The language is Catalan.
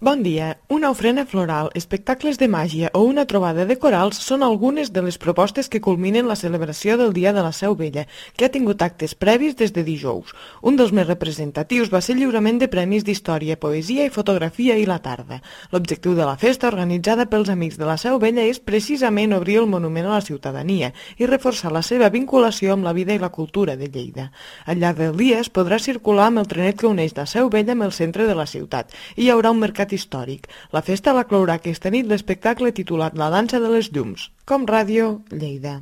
Bon dia. Una ofrena floral, espectacles de màgia o una trobada de corals són algunes de les propostes que culminen la celebració del Dia de la Seu Vella, que ha tingut actes previs des de dijous. Un dels més representatius va ser el lliurament de premis d'història, poesia i fotografia ahir a la tarda. L'objectiu de la festa, organitzada pels Amics de la Seu Vella, és precisament obrir el monument a la ciutadania i reforçar la seva vinculació amb la vida i la cultura de Lleida. Al llarg del dia es podrà circular amb el trenet que uneix la Seu Vella amb el centre de la ciutat i hi haurà un mercat històric. La festa la clourà aquesta nit l'espectacle titulat La dansa de les llums. Com Ràdio, Lleida.